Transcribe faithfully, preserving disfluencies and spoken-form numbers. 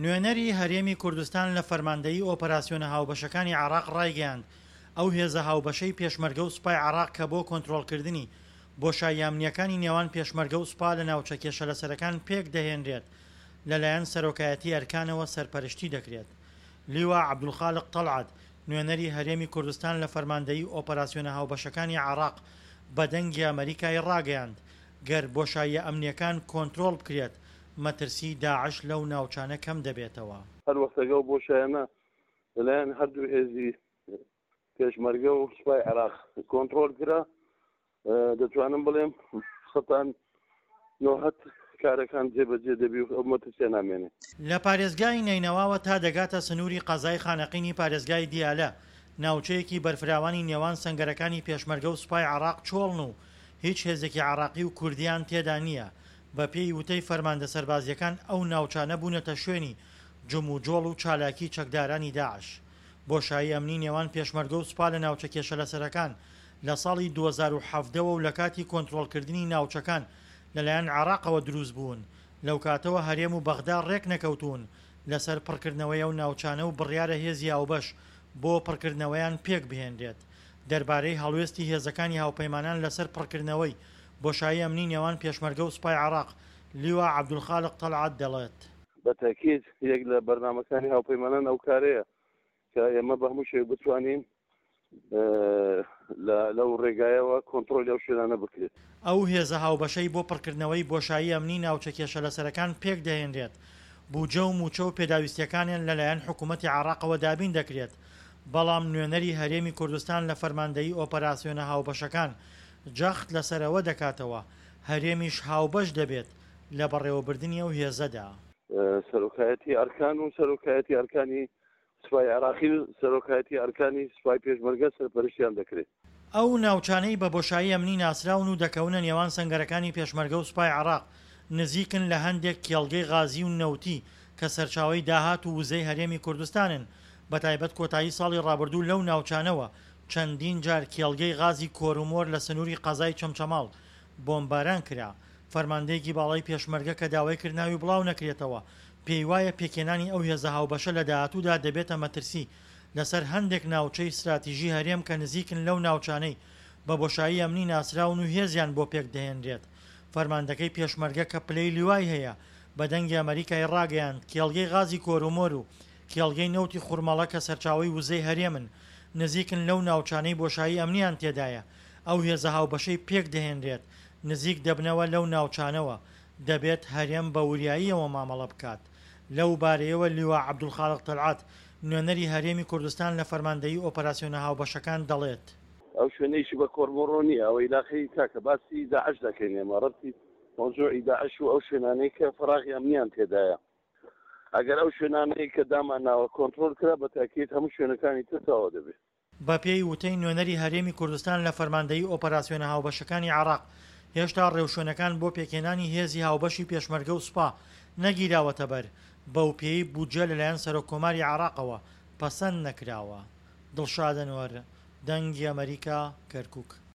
نوێنەری هەرێمی کوردستان لە فەرماندەیی ئۆپەراسیۆنە هاوبەشەکانی عێراق ڕایگەیاند، ئەو هێزە هاوبەشەی پێشمەرگە و سوپای عێراق کە بۆ کۆنترۆڵکردنی بۆشاییە ئەمنییەکانی نێوان پێشمەرگە و سوپا لە ناوچە کێشەلەسەرەکان پێکدەهێنرێت، لەلایەن سەرۆکایەتی ئەرکانەوە سەرپەرشتی دەکرێت. لیوا عەبدولخالق تەڵعەت، نوێنەری هەرێمی کوردستان لە فەرماندەیی ئۆپەراسیۆنە هاوبەشەکانی عێراق بە دەنگی ئەمەریکای ڕاگەیاند، گەر بۆشاییە ئەمنییەکان کۆنترۆڵ بکرێت، مەترسی داعش لەو ناوچانە کەم دەبێتەوە. هەر وەختێک ئەو بۆشایانە لەلایەن هەردوو هێزی پێشمەرگە و سوپای عێراق کۆنترۆل کرا، دەتوانم بڵێم سەتان نۆهەت کارەکان جێبەجێ دەبی و ئەو مەترسیە نامێنێ. لە پارێزگای نەینەواوە تا دەگاتە سنووری قەزای خانەقینی پارێزگای دیالە، ناوچەیەکی بەرفراوانی نێوان سەنگەرەکانی پێشمەرگە و سوپای عێراق چۆڵن و هیچ هێزێکی عێراقی و کوردیان تێدا نییە، بەپێی وتەی فەرماندە سەربازییەکان ئەو ناوچانە بوونەتە شوێنی جموجۆڵ و چالاکی چەکدارانی داعش. بۆشایی ئەمنی نێوان پێشمەرگە و سوپا لە ناوچە کێشەلەسەرەکان لە ساڵی دوو هەزار و حەڤدە وە و لەکاتی کۆنترۆڵکردنی ناوچەکان لەلایەن عێراقەوە دروستبوون، لەوکاتەوە هەرێم و بەغدا رێکنەکەوتوون لەسەر پڕکردنەوەی ئەو ناوچانە و بڕیارە هێزی هاوبەش بۆ پڕکردنەوەیان پێکبهێنرێت. دەربارەی هەڵوێستی هێزەکانی هاوپەیمانان لەسەر پڕکردنەوەی بۆشایی ئەمنی نێوان پێشمەرگە و سوپای عێراق، لیوا عەبدولخالق تەڵعەت دەڵێت. بە تەئکید یەک لە بەرنامەکانی هاوپەیمانان ئەو کارەیە کە ئێمە بە هەموو شێوەیەک بتوانین لەو ڕێگایەوە کۆنترۆلی ئەو شوێنانە بکرێت. ئەو هێزە هاوبەشەی بۆ پڕکردنەوەی بۆشایی ئەمنی ناوچە کێشەلەسەرەکان پێکدەهێنرێت، بوجە و مووچە و پێداویستییەکانیان لەلایەن حکوومەتی عێراقەوە دابین دەکرێت، بەڵام نوێنەری هەرێمی کوردستان لە فەرماندەیی ئۆپەراسیۆنە هاوبەشەکان جەخت لەسەر ئەوە دەکاتەوە، هەرێمیش هاوبەش دەبێت لە بەڕێوەبردنی ئەو هێزەدا. سەرۆکایەتی ئەرکان و سەرۆکایەتی ئەرکانی سوپای عێراقی و سەرۆکایەتی ئەرکانی سوپای پێشمەرگە سەرپەرشتیان دەکرێت. ئەو ناوچانەی بە بۆشایی ئەمنی ناسراون و دەکەونە نێوان سەنگەرەکانی پێشمەرگە و سوپای عێراق، نزیکن لە هەندێک کێڵگەی غازی و نەوتی کە سەرچاوەی داهات و وزەی هەرێمی کوردستانن، بەتایبەت کۆتایی ساڵی ڕابردوو لەو ناوچانەوە چەندین جار کێڵگەی غازی کۆرومۆر لە سنووری قەزای چەمچەماڵ بۆمباران کرا. فەرماندەیەکی باڵای پێشمەرگە کە داوای کرد ناوی بڵاو نەکرێتەوە، پێیوایە پێکهێنانی ئەو هێزە هاوبەشە لە داهاتوودا دەبێتە مەترسی لەسەر هەندێک ناوچەی ستراتیژی هەرێم کە نزیکن لەو ناوچانەی بە بۆشایی ئەمنی ناسراون و هێزیان بۆ پێکدەهێنرێت. فەرماندەکەی پێشمەرگە کە پلەی لیوای هەیە بە دەنگی ئەمەریکای ڕاگەیاند، کێڵگەی غازی کۆرومۆر و کێڵگەی نەوتی خورمەڵە کە سەرچاوەی وزەی هەرێمن، نزیکن لەو ناوچانەی بۆشایی ئەمنیان تێدایە، ئەو هێزە هاوبەشەی پێکدەهێنرێت نزیک دەبنەوە لەو ناوچانەوە، دەبێت هەرێم بە وریاییەوە مامەڵە بکات. لەو بارەیەوە لیوا عەبدولخالق تەلعەت، نوێنەری هەرێمی کوردستان لە فەرماندەیی ئۆپەراسیۆنە هاوبەشەکان دەڵێت. ئەو شوێنەیشی بە کۆرمۆڕۆ نییە، ئەوەی لاقەی کاکە باسی داعش دەکەین ئێمە، ڕەبتی مەوزوعی داعش و ئەو شوێنانەی کە فەراغی ئەمنیان تێدایە، ئەگەر ئەو شوێنانەی کە دامانناوە کۆنترۆل کرا بە تاکید هەموو شوێنەکانی تر تەواو دەبێت. بەپێی وتەی نوێنەری هەرێمی کوردستان لە فەرماندەیی ئۆپەراسیۆنە هاوبەشەکانی عێراق، هێشتا ڕێوشوێنەکان بۆ پێکهێنانی هێزی هاوبەشی پێشمەرگە و سوپا نەگیراوەتەبەر، بەوپێیەی بودجە لەلایەن سەرۆککۆماری عێراقەوە پەسەند نەکراوە. دڵشاد ئەنوەر، دەنگی ئەمەریکا، کەرکوک.